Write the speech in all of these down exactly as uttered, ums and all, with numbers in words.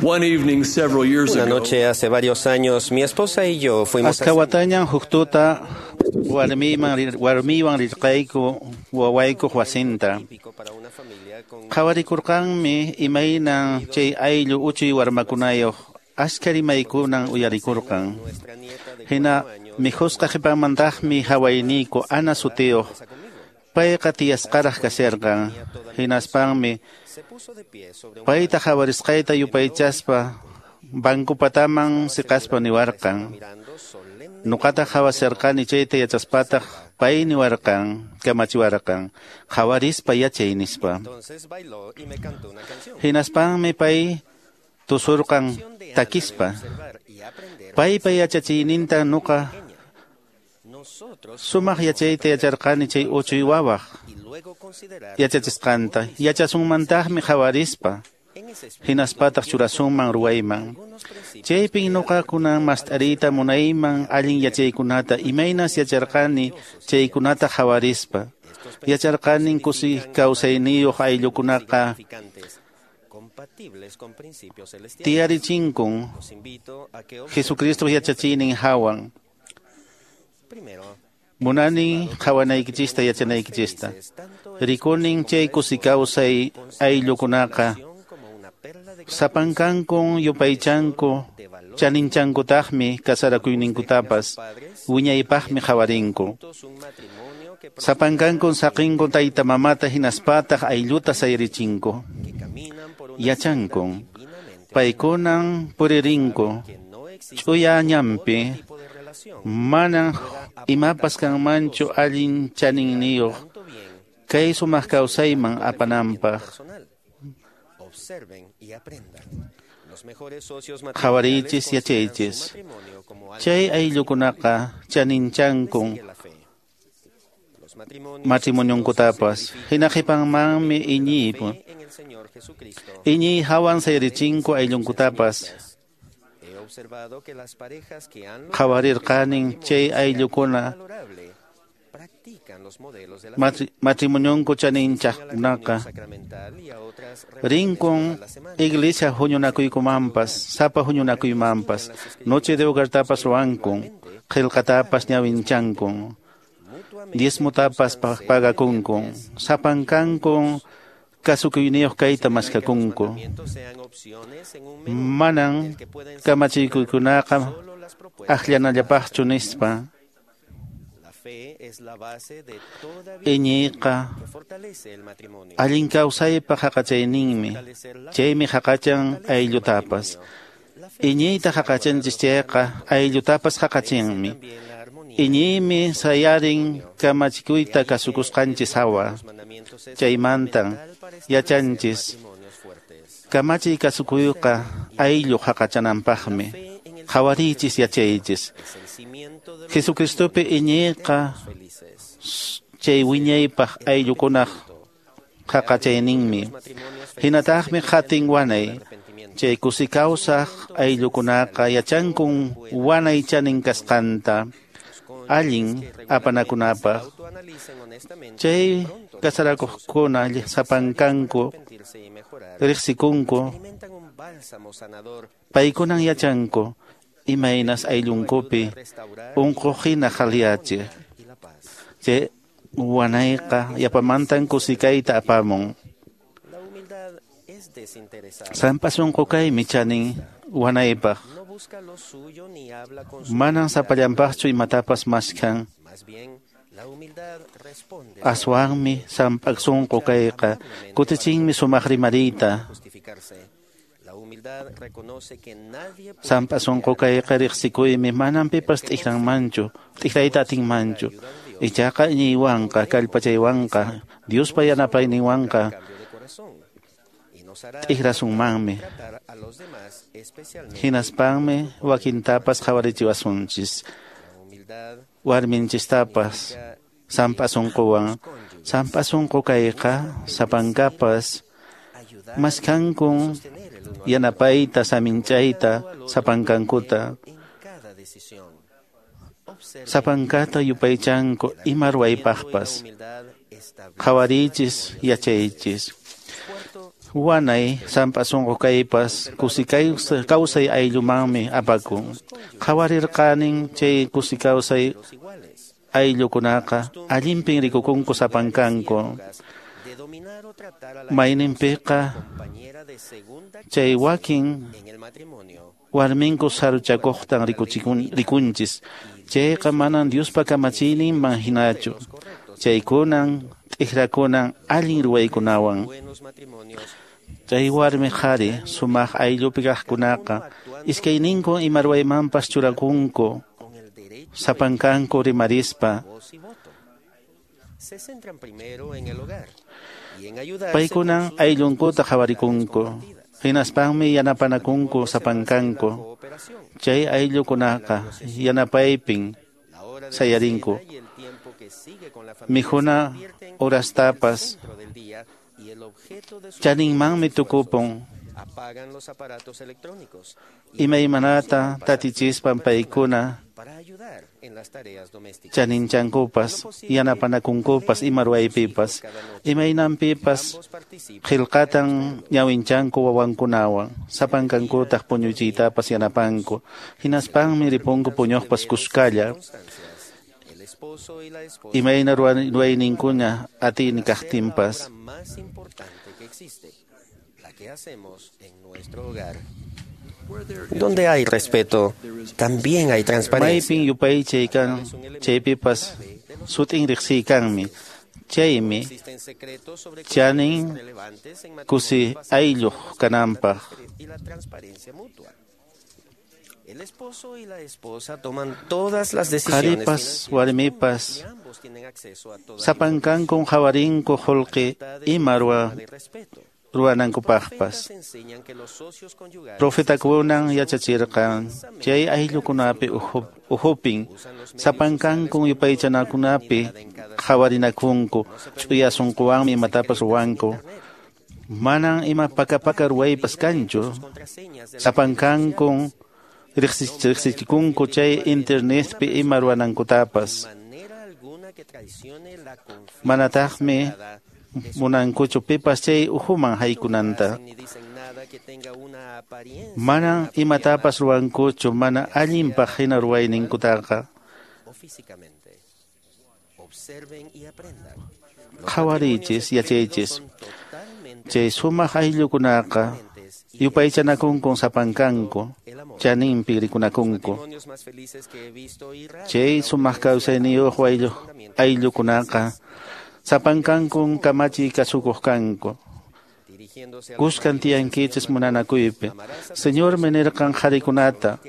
One evening several years Una ago, noche hace varios años, mi esposa y yo fuimos Aska a watañan huk tuta warmiyman rir- warmiywan rirqayku wawaykuq wasinta. típico para una familia con Qhawarikurqanmi imaynan chay ayllu uchuy warmakunayuq askha rimaykunan uyarikurqan. nuestra nieta de Hina cuatro años mikhusqa qhipanmantaqmi hawayniyku Ana sutiyuq payqa tiyasqaraq kasharqan. Hinaspanmi se puso de pie sobre un payta qhawarisqayta yupaychaspa bankupataman siqaspa niwarqan. mirando solemne Nuqata qhawasharqani chayta yachaspataq pay niwarqan, kamachiwarqan, qhawarispa yachay nispa. Entonces bailó y me cantó una canción. Hinaspanmi pay tusurqan De Ana de takispa. observar y aprender Paypa yachachiyninta nuqa nosotros sumaq yachayta yacharqani chay uchuy wawaq y luego considerar yachachisqanta. Yachasunmantaqmi qhawarispa, en ese espíritu hinaspataq churasunman ruwayman. algunos principios Chaypin nuqakunan mast'ariyta munayman allin yachaykunata imaynas yacharqani chaykunata qhawarispa. Yacharqanin kusi kawsayniyuq ayllukunaqa significantes compatibles con principios celestiales. tiyarichinkun Los invito a que observen Jesucristo yachachiynin hawan. primero Munanin qhawanaykichista yachanaykichista. Rikunin chay kusi kawsay ayllukunaqa como una perla de sapankankun yupaychanku chaninchankutaqmi kasarakuyninkutapas wiñaypaqmi qhawarinku. un matrimonio que Sapankankun saqinku tayta mamata hinaspataq aylluta sayarichinku. que caminan por una Yachankun. senda divinamente Paykunan puririnku que no existe ch'uya ñanpi tipo de relación manan imapas kanmanchu allin chaninniyuq tanto bien kay sumaq kawsayman apananpaq. personal. Observen y aprendan. Los mejores socios Qhawariychis matrimoniales consideran su yachaychis. matrimonio como algo Chay ayllukunaqa chaninchankun que sigue la fe. Los matrimonios matrimonionkutapas. Hina qhipanmanmi iñiypu. fe en el Señor Jesucristo. Iñiy hawan sayarichinku ayllunkutapas. He observado que las parejas que han Qhawarirqanin chay ayllukuna valorable practican los modelos de la matri- matrimonionku fe, a la comunión chaninchaqkunaqa sacramental y a otras reuniones rinkun todas las semanas. iglesia huñunakuykumanpas sapa huñunakuymanpas noche de hogartapas ruwankun qillqatapas ñawinchankun Mutuamente diezmutapas pa- pagakunkun sapankankun kasukuyniyuq kayta maskakunku mandamientos sean opciones en un menú manan del que pueden kamachikuykunaqa solo las propuestas. akllanallapaqchu nispa La fe es la base de toda vida iñiyqa que fortalece el matrimonio. allin kawsaypaq haqachayninmi Fortalecer la fe chaymi haqachan fortalece el ayllutapas matrimonio. La fe iñiyta haqachanchis chayqa ayllutapas haqachinmi también la armonía. iñiymi sayarin kamachikuyta kasukusqanchis hawa Los mandamientos es chaymantan fundamental para establecer yachanchis matrimonios fuertes. kamachiy kasukuyqa ayllu haqachananpaqmi Fe en el qhawariychis yachaychis es el cimiento de los Jesucristopi iñiyqa felices. chay wiñaypaq ayllukunaq haqachayninmi Matrimonios felices hinataqmi qatin wanay arrepentimiento. chay kusi kawsaq ayllukunaqa yachankun wanay chanin kasqanta allin apanakunapaq Autoanalicen honestamente chay kasarakuqkuna sapankanku arrepentirse y mejorar. riqsikunku Experimentan un bálsamo sanador paykunan yachanku imaynas ayllunkupi restaurar unquq hina qhaliyachiq y la paz. chay wanayqa yapamantan kusikayta apamun La humildad es desinteresada. sampa sunqu kaymi chanin wanaypaq No busca lo suyo ni habla con su manan autoridad. sapallanpaqchu imatapas maskhan Más bien, la humildad responde aswanmi samp'aq sunqu kayqa kutichinmi sumaq rimariyta justificarse. La humildad reconoce que nadie puede sampa sunqu kayqa riqsikuymi manan pipas t'ikranmanchu t'ikrayta atinmanchu ichaqa iñiywanqa kallpachaywanqa Diospa yanapayninwanqa cambio de corazón y nos hará t'ikrasunmanmi tratar a los demás, especialmente hinaspanmi wakintapas qhawarichiwasunchis la humildad warminchistapas sampa sunquwan sampa sunqu kayqa sapankapas ayudar maskhankun sostener el uno al yanapayta saminchayta sapankankuta en cada decisión. Observen sapankata yupaychanku ima la ruwaypaqpas humildad establece qhawariychis yachaychis Cuarto, Wanay sampa sunqu kaypas kusi kawsay ayllumanmi apakun. Qhawarirqanin chay kusi kawsay ayllukunaqa allinpin rikukunku sapankanku. Mayninpiqa chay wakin warminku saruchakuqtan rikunchis. Chayqa manan Diospa kamachiyninman hinachu. Chaykunan t'ikrakunan allin ruwaykunawan. Chay warmi qhari sumaq ayllupi kaqkunaqa iskayninku ima ruwaymanpas churakunku sapankanku rimarispa. Paykunan ayllunkuta qhawarikunku, hinaspanmi yanapanakunku sapankanku. Chay ayllukunaqa yanapaypin sayarinku. Mikhuna horastapas chaninmanmi tukupun. Imaymanata tatichispan paykuna chaninchankupas, yanapanakunkupas, ima ruwaypipas, imaynanpipas qillqatan ñawinchanku wawankunawan, sapankankutaq puñuchiytapas yanapanku, hinaspanmi ripunku puñuqpas kuskalla. Imayna ruwayninkuna atiyni kaqtinpas. Donde hay respeto, también hay transparencia. Maypin yupaychay kan, chaypipas sut'in riqsiy kanmi. Chaymi chanin kusi aylluq kananpaq. El esposo y la esposa toman todas las decisiones. Qharipas, warmipas, sapankankun qhawarinku qullqi ima ruwanankupaqpas. Profetakunan yachachirqan chay ayllukunapi uhupin sapankankun yupaychanakunapi qhawarinakunku ch'uya sunquwanmi imatapas ruwanku. Manan ima pakapaka ruwaypas kanchu. Sapankankun riqsichikunku chay internetpi ima ruwanankutapas. Manataqmi munankuchu pipas chay uhuman haykunanta. Manan imatapas ruwankuchu mana allinpaq hina ruwayninkutaqa. Qhawariychis, yachaychis. Chay sumaq ayllukunaqa yupaychanakunkun sapankanku, chaninpi rikunakunku. Chay sumaq kawsayniyuq ayllukunaqa sapankankun kamachiy kasukuq kanku. Kuskan tiyankichis munanakuypi. Señormi nirqan qharikunata,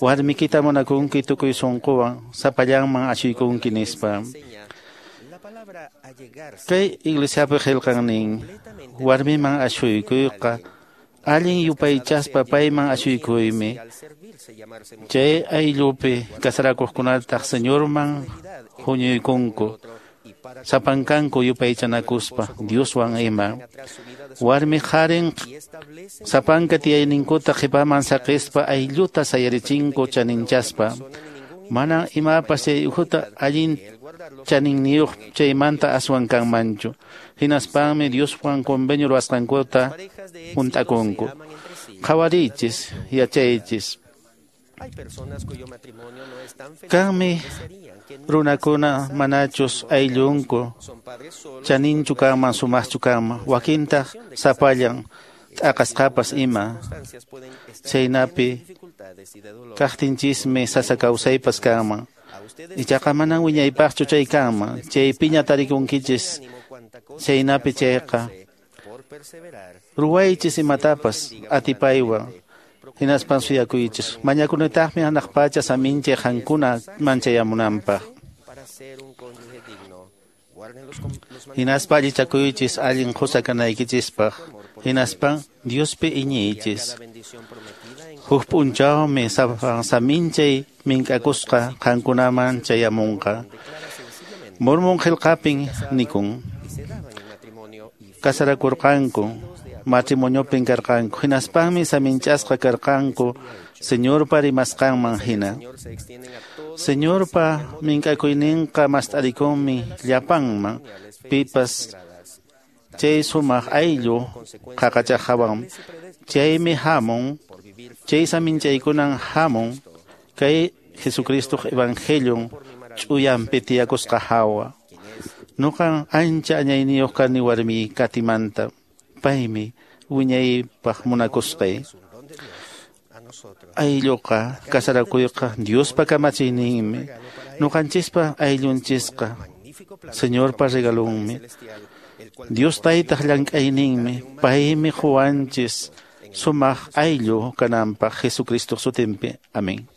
warmikita munakunki tukuy sunquwan, sapallanman ashuykunki nispa. Kay iglesiapi qillqan nin, warmiman ashuykuyqa allin yupaychaspa payman ashuykuymi. Chay ayllupi kasarakuqkunataq Señorman huñuykunku, sapankanku yupaychanakuspa Dioswan ima. Warmi qharin sapanka tiyayninkuta qhipaman saqispa aylluta sayarichinku chaninchaspa. Manan imapas chay uhuta allin chaninniyuq chaymanta aswan kanmanchu. Hinaspanmi Dioswan convenio ruwasqankuta hunt'akunku. Qhawariychis, yachaychis. Kanmi runakuna manachus ayllunku chaninchu kanman sumaqchu kanman, wakintaq sapallan t'aqasqapas ima. Chaynapi kaqtinchismi sasa kawsaypas kanman. Ichaqa manan wiñaypaqchu chay kanman, chaypiña tarikunkichis chaynapi chayqa. Ruwaychis imatapas atipaywan, hinaspan suyakuychis. Mañakunitaqmi hanaq pacha saminchay qankuna manchayamunanpaq. Hinaspa allichakuychis allin qusa kanaykichispaq. Hinaspan Diospi iñiychis. Huk p'unchawmi saminchay mink'akusqa qankunaman chayamunqa. Mormon qillqapin nikun. Kasarakurqanku, matrimoniopin karqanku, hinaspanmi saminchasqa karqanku Señorpa rimasqanman hina. Señorpa mink'akuyninqa mast'arikunmi llapanman, pipas Chay sumaq ayllu qaqachaqawan. Chaymi hamun, chay saminchaykunan hamun, kay Jesucristo Evangelion ch'uyanpi tiyakusqa hawa. Nuqan ancha añayniyuq kani warmi Katimanta. Paymi wiñaypaq munakusqay. Aylluqa kasarakuyqa Diospa kamachiyninmi. Nuqanchispa ayllunchisqa Señorpa regalunmi. Dios taytaq llank'ayninmi. Paymi quwanchis sumaq ayllu kananpaq Jesucristo sutinpi. Amén.